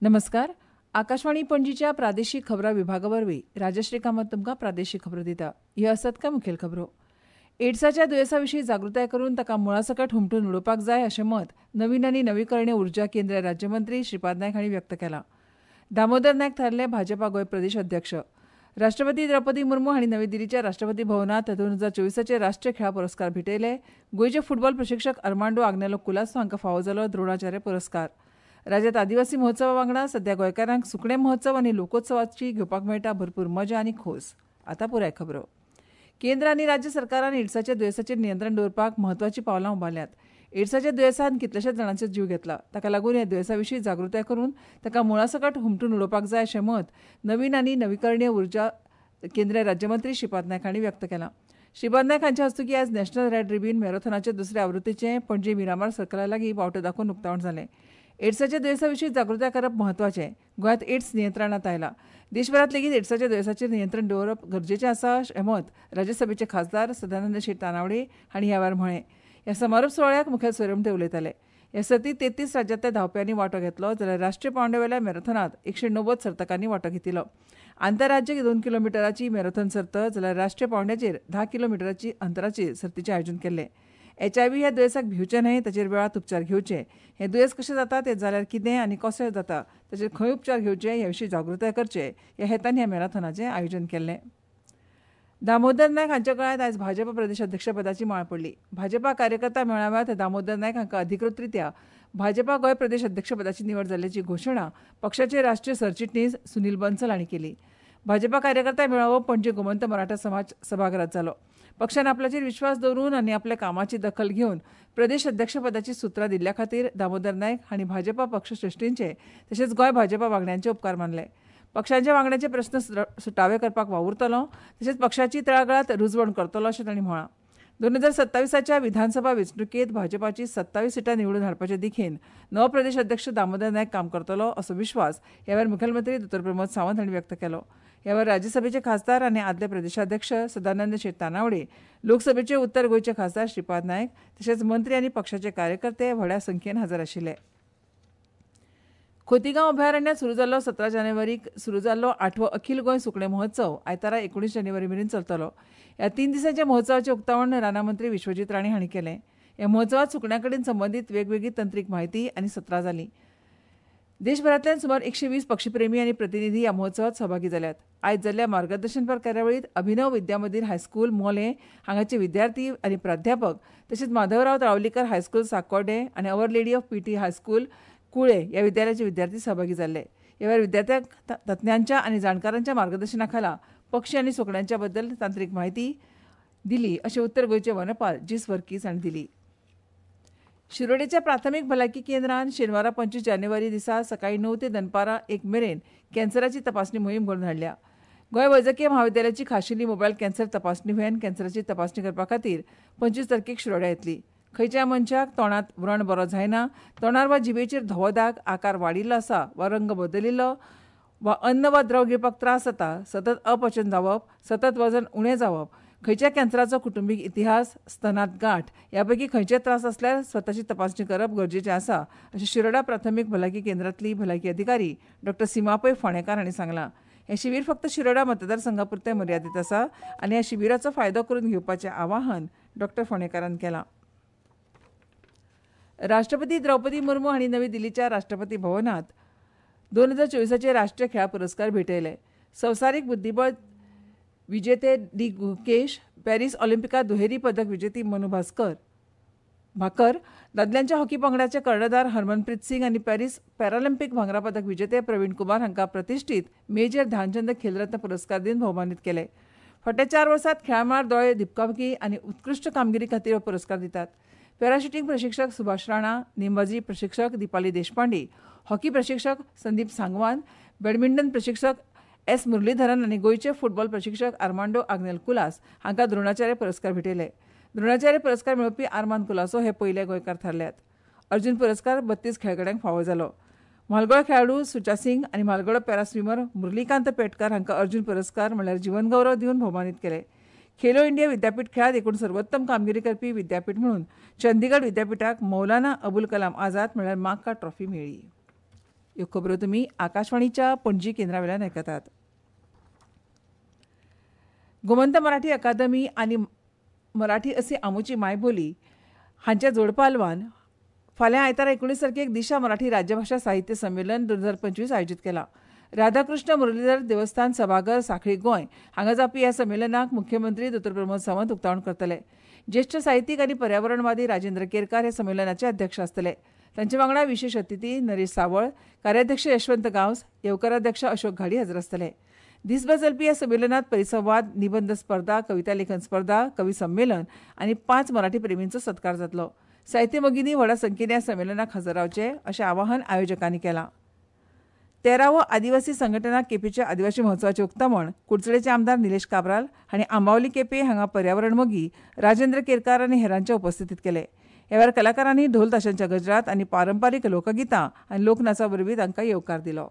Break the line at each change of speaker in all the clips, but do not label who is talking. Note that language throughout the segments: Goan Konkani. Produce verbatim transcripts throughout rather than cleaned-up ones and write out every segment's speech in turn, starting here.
नमस्कार. आकाशवाणी पणजीच्या प्रादेशीक खबरां विभागा वरवीं राजश्री कामत तुमकां प्रादेशीक खबरो दिता. ह्यो आसात कांय मुखेल खबरो. एड्साच्या दुयेंसा विशीं जागृताय करून ताका मुळासकट हुमटून उडोवपाक जाय अशें मत नवीन आनी नवीकरणीय उर्जा केंद्रीय राज्यमंत्री श्रीपाद नायक हांणी व्यक्त केलां. दामोदर नायक थारले भाजपा गोंय प्रदेश अध्यक्ष. राष्ट्रपती द्रौपदी मुर्मू हांणी नवी दिल्लीच्या राष्ट्रपती भवनांत दोन हजार चोवीसाचे राष्ट्रीय खेळां पुरस्कार भेटयले. गोंयचे फुटबॉल प्रशिक्षक अर्मांडो आग्नेलो कुलासो हांकां फावो जालो द्रोणाचार्य पुरस्कार. राज्यांत आदिवासी महोत्सवा वांगडा सध्या गोंयकारांक सुकणें महोत्सव आनी लोकोत्सवाची घेवपाक मेळटा भरपूर मजा आनी खोस. आतां पुराय खबरो. केंद्र आनी राज्य सरकारान एड्साच्या दुयेंसाचेर नियंत्रण दवरपाक म्हत्वाचीं पावलां उबारल्यांत. एड्साच्या दुयेंसान कितल्याशाच जाणांचो जीव घेतला. ताका लागून ह्या दुयेंसा विशीं जागृताय करून ताका मुळासकट हुमटून उडोवपाक जाय अशें मत नवीन आनी नवीकरणीय उर्जा केंद्रीय राज्यमंत्री श्रीपाद नायक हांणी व्यक्त केलां. श्रीपाद नायक हांच्या हस्तुकीं आयज नॅशनल रॅड रिबीन मॅरेथॉनाच्या दुसऱ्या आवृत्तीचें पणजे मिरामार सर्कला लागीं बावटो दाखोवन उक्तावण जालें. एड्साच्या दुयेंसा विशीं जागृताय करप म्हत्वाचें. गोंयांत एड्स नियंत्रणांत आयला. देशभरांत लेगीत एड्साच्या दुयेंसाचेर नियंत्रण दवरप गरजेचें आसा अशें मत राज्यसभेचे खासदार सदानंद शेट तानावडे हांणी ह्या वेळार म्हळें. ह्या समारोप सुवाळ्याक मुखेल सोयरे म्हूण ते उलयताले. ह्या सर्तींत तेत्तीस राज्यांतल्या धांवप्यांनी वांटो घेतलो जाल्यार राष्ट्रीय पांवड्यावेल्या मॅरेथॉनांत एकशे णव्वद सर्तकांनी वांटो घेतिल्लो. आंतरराज्य दोन किलोमिटराची मॅरेथॉन सर्त जाल्यार राष्ट्रीय पांवड्याचेर धा किलोमिटराची अंतराचेर सर्तीचें आयोजन केल्लें. एच I V ह्या दुयेंसाक भिवचें न्हय, ताचेर वेळांत उपचार घेवचे. हें दुयेंस कशें जाता, तें जाल्यार कितें आनी कशें जाता, ताचेर खंय उपचार घेवचे ह्या विशीं जागृताय करचे ह्या हेतान ह्या मॅरेथॉनाचें आयोजन केल्लें. दामोदर नायक हांच्या गळ्यांत आयज भाजपा प्रदेश अध्यक्षपदाची माळ पडली. भाजपा कार्यकर्ता मेळाव्यांत दामोदर नायक हांकां अधिकृतरित्या भाजपा गोंय प्रदेश अध्यक्षपदाची निवड जाल्ल्याची घोशणा पक्षाचे राष्ट्रीय सरचिटणीस सुनील बन्सल हांणी केली. भाजपा कार्यकर्ता मेळावो पणजे गोमंत मराठा समाज सभाघरांत जालो. पक्षान आपल्याचेर विश्वास दवरून आनी आपल्या कामाची दखल घेवन प्रदेश अध्यक्षपदाची सुत्रां दिल्ल्या खातीर दामोदर नायक हांणी भाजपा पक्षश्रेश्ठींचे तशेंच गोंय भाजपा वांगड्यांचे उपकार मानले. पक्षांच्या वांगड्यांचे प्रस्न सुटावे करपाक वावुरतलो तशेंच पक्षाची तळागाळांत रुजवण करतलो अशें तांणी म्हळां. दोन हजार सत्तावीसाच्या विधानसभा वेंचणुकेंत भाजपाची सत्तावीस सिटां निवडून हाडपाचे दिखेन नवो प्रदेश अध्यक्ष दामोदर नायक काम करतलो असो विश्वास ह्या वेळार मुखेलमंत्री दोतोर प्रमोद सावंत हांणी व्यक्त केलो. ह्या वेळार राज्यसभेचे खासदार आनी आदले प्रदेशाध्यक्ष सदानंद शेट तानावडे, लोकसभेचे उत्तर गोंयचे खासदार श्रीपाद नायक तशेंच मंत्री आनी पक्षाचे कार्यकर्ते व्हडा संख्येन हजर आशिल्ले. खोतीगांव अभयारण्यांत सुरू जाल्लो सतरा जानेवारीक सुरू जाल्लो आठवो अखील गोंय सुकणें महोत्सव आयतारा एकुणीस जानेवारी मेरेन चलतलो. ह्या तीन दिसांच्या महोत्सवाचें उक्तावण रानां मंत्री विश्वजीत राणे हांणी केलें. ह्या महोत्सवांत सुकण्यां कडेन संबंदीत वेगवेगळी तंत्रीक म्हायती आनी सत्रां जालीं. देशभरांतल्यान सुमार एकशे वीस पक्षीप्रेमी आनी प्रतिनिधी ह्या महोत्सवांत सहभागी जाल्यात. आयज जाल्ल्या मार्गदर्शनपर कार्यावळींत अभिनव विद्यामंदिर हायस्कूल मोलें हांगाचे विद्यार्थी आनी प्राध्यापक तशेंच माधवराव तळावलीकर हायस्कूल साकोर्डे आनी our lady of P T high school Kulem ह्या विद्यालयाचे विद्यार्थी सहभागी जाल्ले. ह्या वेळार विद्यार्थ्यांक तज्ञांच्या आनी जाणकारांच्या मार्गदर्शनाखाला पक्षी आनी सुकण्यांच्या बद्दल तांत्रीक म्हायती दिली अशें उत्तर गोंयचे वनपाल जीस वर्कीस हांणी दिली. शिरोडेच्या प्राथमीक भलायकी केंद्रान शेनवारा पंचवीस जानेवारी दिसा सकाळीं णव ते दनपारां एक मेरेन कॅन्सराची तपासणी मोहीम घडोवन हाडल्या. गोंय वैजकीय म्हाविद्यालयाची खाशेली मोबायल कॅन्सर तपासणी व्हॅन कॅन्सराची तपासणी करपा खातीर पंचवीस तारखेक शिरोड्या येतली. खंयच्याय मनशाक तोंडांत व्रण बरो जायना, तोंडार वा जिबेचेर धवो दाग, आकार वाडिल्लो आसा वा रंग बदलिल्लो वा अन्न वा द्रव गिळपाक त्रास जाता, सतत अपचन जावप, सतत वजन उणें जावप, खंयच्या कॅन्सराचो कुटुंबीक इतिहास, स्तनांत गांठ ह्या पैकी खंयचे त्रास आसल्यार स्वताची तपासणी करप गरजेचें आसा अशें शिरोडा प्राथमीक भलायकी केंद्रांतली भलायकी अधिकारी डॉक्टर सीमा पै फोंडेकार हांणी सांगलां. हें शिबीर फक्त शिरोडा मतदारसंघा पुरतें मर्यादीत आसा आनी ह्या शिबिराचो फायदो करून घेवपाचें आवाहन डॉक्टर फोंडेकारान केलां. राष्ट्रपती द्रौपदी मुर्मू हांणी नवी दिल्लीच्या राष्ट्रपती भवनांत दोन हजार चोवीसाचे राष्ट्रीय खेळां पुरस्कार भेटयले. संवसारीक बुद्धिबळ विजेते डी गुकेश, पॅरीस ऑलिम्पिकांत दुहेरी पदक विजेती मनु भास्कर भाकर, दादल्यांच्या हॉकी पंगडाचे कर्णधार हरमनप्रीत सिंग आनी पॅरीस पॅरालिम्पिक भांगरा पदक विजेते प्रवीण कुमार हांकां प्रतिश्ठीत मेजर ध्यानचंद खेलरत्न पुरस्कार दिवन भोवमानीत केले. फाटल्या चार वर्सांत खेळामळार दोळे दिपकावपी आनी उत्कृश्ट कामगिरी खातीर हो पुरस्कार दितात. पॅराशुटींग प्रशिक्षक सुभाष राणा, नेमबाजी प्रशिक्षक दीपाली देशपांडे, हॉकी प्रशिक्षक संदीप सांगवान, बॅडमिंटन प्रशिक्षक एस मुरलीधरन आनी गोंयचे फुटबॉल प्रशिक्षक आर्मांडो आग्नेल कुलास हांकां द्रोणाचार्य पुरस्कार भेटयले. द्रोणाचार्य पुरस्कार मेळोवपी आर्मांद कुलासो हे पयले गोंयकार थारल्यात. अर्जुन पुरस्कार बत्तीस खेळगड्यांक फावो जालो. म्हालगडो खेळाडू सुचा सिंग आनी म्हालगडो पॅरा स्विमर मुरलीकांत पेटकार हांकां अर्जुन पुरस्कार म्हणल्यार जीवनगौरव दिवन भोवमानीत केले. खेलो इंडिया विद्यापीठ खेळांत एकूण सर्वोत्तम कामगिरी करपी विद्यापीठ म्हणून चंदीगड विद्यापीठाक मौलाना अबुल कलाम आझाद म्हणल्यार माक्का ट्रॉफी मेळ्ळी. ह्यो खबरो तुमी आकाशवाणीच्या पणजी केंद्रा वेल्यान आयकतात. गोमंत मराठी अकादमी आनी मराठी असे आमुची मायबोली हांच्या जोडपालवान फाल्यां आयतारा एकुणीस तारखेक दिशा मराठी राज्यभाशा साहित्य संमेलन दोन हजार पंचवीस आयोजीत केलां. राधाकृष्ण मुरलीधर देवस्थान सभाघर साखळी गोंय हांगा जावपी ह्या संमेलनाक मुख्यमंत्री दोतोर प्रमोद सावंत उक्तावण करतले. ज्येश्ठ साहित्यीक आनी पर्यावरणवादी राजेंद्र केरकार हे संमेलनाचे अध्यक्ष आसतले. तांचे वांगडा विशेश अतिथी नरेश सावळ, कार्याध्यक्ष यशवंत गांवस, येवकाराध्यक्ष अशोक घाडी हजर आसतले. दिसभर चलपी ह्या संमेलनात परिसंवाद, निबंद स्पर्धा, कविता लेखन स्पर्धा, कवी संमेलन आनी पांच मराठी प्रेमींचो सत्कार जातलो. साहित्य मोगींनी व्हडा संख्येन ह्या संमेलनाक हजर रावचें अशें आवाहन आयोजकांनी केलां. तेरावो आदिवासी संघटना केपेंच्या आदिवासी महोत्सवाचें उक्तावण कुडचडेचे आमदार निलेश काब्राल हांणी आंबावली केपें हांगा पर्यावरण मोगी राजेंद्र केरकार आनी हेरांच्या उपस्थितीत केलें. ह्या वेळार कलाकारांनी ढोल ताशांच्या गजरात आनी पारंपारीक लोकगितां आनी लोकनाचा वरवीं तांकां येवकार दिलो.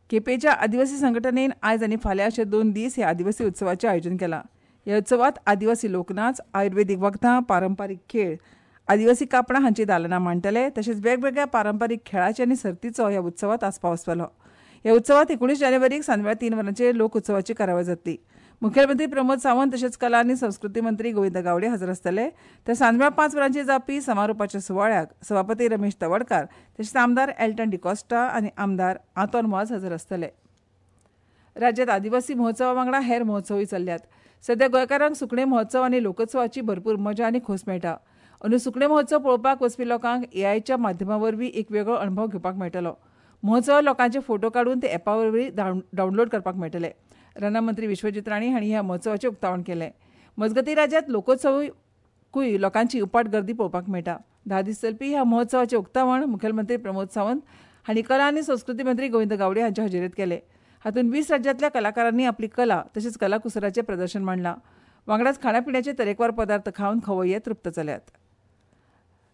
केपेंच्या आदिवासी संघटनेन आयज आनी फाल्यां अशे दोन दीस ह्या आदिवासी उत्सवाचें आयोजन केलां. ह्या उत्सवांत आदिवासी लोकनाच, आयुर्वेदीक वखदां, पारंपारीक खेळ, आदिवासी कापडां हांची दालनां मांडटले. तशेंच वेगवेगळ्या पारंपारीक खेळाचे आनी सर्तीचो ह्या उत्सवांत आस्पाव आसतलो. ह्या उत्सवांत एकुणीस जानेवारीक सांजवेळा तीन वरांचेर लोकोत्सवाची कार्यावळ जातली. मुखेलमंत्री प्रमोद सावंत तशेंच कला आनी संस्कृती मंत्री गोविंद गावडे हजर आसतले. तर सांजवेळा पांच वरांचेर जावपी समारोपाच्या सुवाळ्याक सभापती रमेश तवडकार तशेंच आमदार एल्टन डिकॉस्टा आनी आमदार आंतोन वाज हजर आसतले. राज्यांत आदिवासी महोत्सवा वांगडा हेर महोत्सवूय चल्ल्यात. सध्या गोंयकारांक सुकणें महोत्सव आनी लोकोत्सवाची भरपूर मजा आनी खोस मेळटा. अंदू सुकणें महोत्सव पळोवपाक वचपी लोकांक एआयच्या माध्यमा वरवीं एक वेगळो अणभव घेवपाक मेळटलो. महोत्सवात लोकांचे फोटो काडून ते एपा वरवीं डावनलोड करपाक मेळटले. रानां मंत्री विश्वजीत राणे हांणी ह्या महोत्सवाचें उक्तावण केलें. मजगतीं राज्यांत लोकोत्सवाकूय लोकांची उपाट गर्दी पळोवपाक मेळटा. धा दीस चलपी ह्या महोत्सवाचें उक्तावण मुखेलमंत्री प्रमोद सावंत हांणी कला आनी संस्कृती मंत्री गोविंद गावडे हांच्या हजेरेंत केलें. हातूंत वीस राज्यांतल्या कलाकारांनी आपली कला तशेंच कलाकुसराचें प्रदर्शन मांडलां. वांगडाच खाणापिण्याचे तरेकवार पदार्थ खावन खवय्ये तृप्त जाल्यात.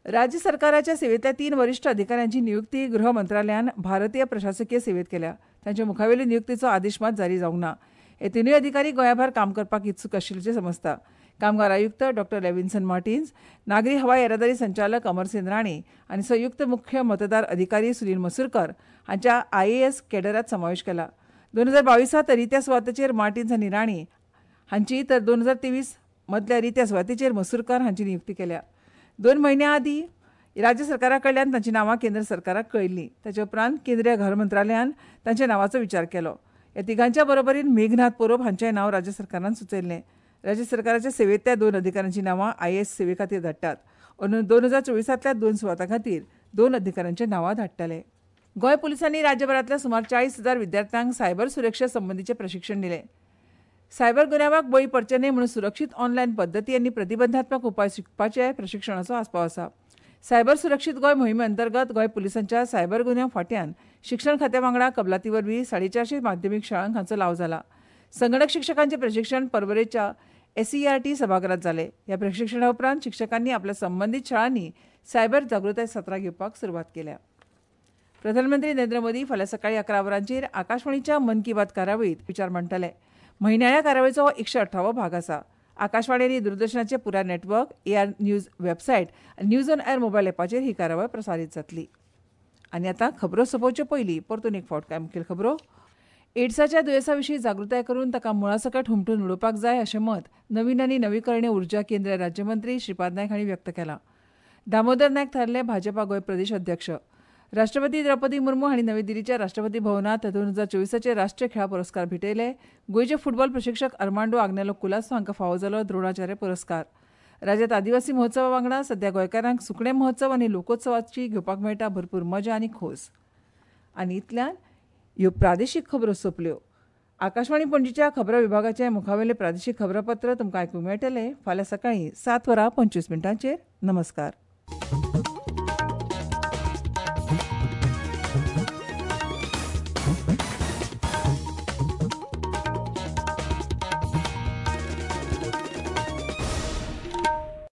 राज्य सरकाराच्या सेवेंतल्या तीन वरिश्ठ अधिकाऱ्यांची नियुक्ती गृह मंत्रालयान भारतीय प्रशासकीय सेवेत केल्या. तांच्या मुखावेली नियुक्तीचो आदेश मात जारी जावंक ना. हे तिनूय अधिकारी गोंयाभायर काम करपाक इत्सूक आशिल्ल्याचें समजता. कामगार आयुक्त डॉ लेविन्सन मार्टिन्स, नागरी हवाई येरादारी संचालक अमरसेन राणे आनी संयुक्त मुख्य मतदार अधिकारी सुनील मसूरकर हांच्या आयएएस कॅडरात समावेश केला. दोन हजार बावीसांत रित्या सुवातेचेर मार्टिन्स आनी राणे हांची तर दोन हजार तेवीस मदल्या रित्या सुवातेचेर मसूरकर हांची नियुक्ती केल्या. दोन म्हयन्यां आदीं राज्य सरकारा कडल्यान तांची नांवां केंद्र सरकाराक कळयल्लीं. ताचे उपरांत केंद्रीय घर मंत्रालयान तांच्या नांवाचो विचार केलो. ह्या तिगांच्या बरोबरीन मेघनाथ पोरोब हांचें नांव राज्य सरकारान सुचयल्लें. राज्य सरकाराच्या सेवेंतल्या दोन अधिकाऱ्यांची नांवां आयएएस सेवे खातीर धाडटात. अंदूं दोन हजार चोवीसांतल्या दोन सुवातां खातीर दोन अधिकाऱ्यांची नांवां धाडटले. गोंय पुलिसांनी राज्यभरांतल्या सुमार चाळीस हजार विद्यार्थ्यांक सायबर सुरक्षे संबंदीचें प्रशिक्षण दिलें. सायबर गुन्यांवाक बळी पडचे न्हय म्हणून सुरक्षीत ऑनलायन पद्दती आनी प्रतिबंधात्मक उपाय शिकपाचे प्रशिक्षणाचो आस्पाव आसा. सायबर सुरक्षीत गोंय मोहिमे अंतर्गत गोंय पुलिसांच्या सायबर गुन्यांव फांट्यान शिक्षण खात्या वांगडा कबलाती वरवीं साडेचारशे माध्यमीक शाळांक हांचो लाव जाला. संगणक शिक्षकांचें प्रशिक्षण पर्वरेच्या एसईआरटी सभाघरांत जालें. ह्या प्रशिक्षणा उपरांत शिक्षकांनी आपल्या संबंदीत शाळांनी सायबर जागृताय सत्रां घेवपाक सुरवात केल्या. प्रधानमंत्री नरेंद्र मोदी फाल्यां सकाळीं अकरा वरांचेर आकाशवाणीच्या मन की बात कार्यावळींत विचार मांडटले. म्हयन्याळ्या कार्यावळीचो हो एकशे अठरावो भाग आसा. आकाशवाणी आनी दूरदर्शनाचे पुराय नेटवर्क, एआर न्यूज वेबसायट आनी न्यूज ऑन एर मोबायल एपाचेर ही कार्यावळ प्रसारीत जातली. आनी आतां खबरो सोंपोवचे पयलीं परतून एक फावट कांय मुखेल खबरो. एड्साच्या दुयेंसा विशीं जागृताय करून ताका मुळासकट हुमटून उडोवपाक जाय अशें मत नवीन आनी नवीकरणीय उर्जा केंद्रीय राज्यमंत्री श्रीपाद नायक हांणी व्यक्त केलां. दामोदर नायक थारले भाजपा गोंय प्रदेश अध्यक्ष. राष्ट्रपती द्रौपदी मुर्मू हांणी नवी दिल्लीच्या राष्ट्रपती भवनांत दोन हजार चोवीसाचे राष्ट्रीय खेळां पुरस्कार भेटयले. गोंयचे फुटबॉल प्रशिक्षक अर्मांडो आग्नेलो कुलासो हांकां फावो जालो द्रोणाचार्य पुरस्कार. राज्यांत आदिवासी महोत्सवा वांगडा सध्या गोंयकारांक सुकणें महोत्सव आनी लोकोत्सवाची घेवपाक मेळटा भरपूर मजा आनी खोस. आनी इतल्यान ह्यो प्रादेशीक खबरो सोंपल्यो. आकाशवाणी पणजीच्या खबरां विभागाचे मुखावेले प्रादेशीक खबरांपत्र तुमकां आयकूंक मेळटलें फाल्यां सकाळीं सात वरां पंचवीस मिनटांचेर. नमस्कार.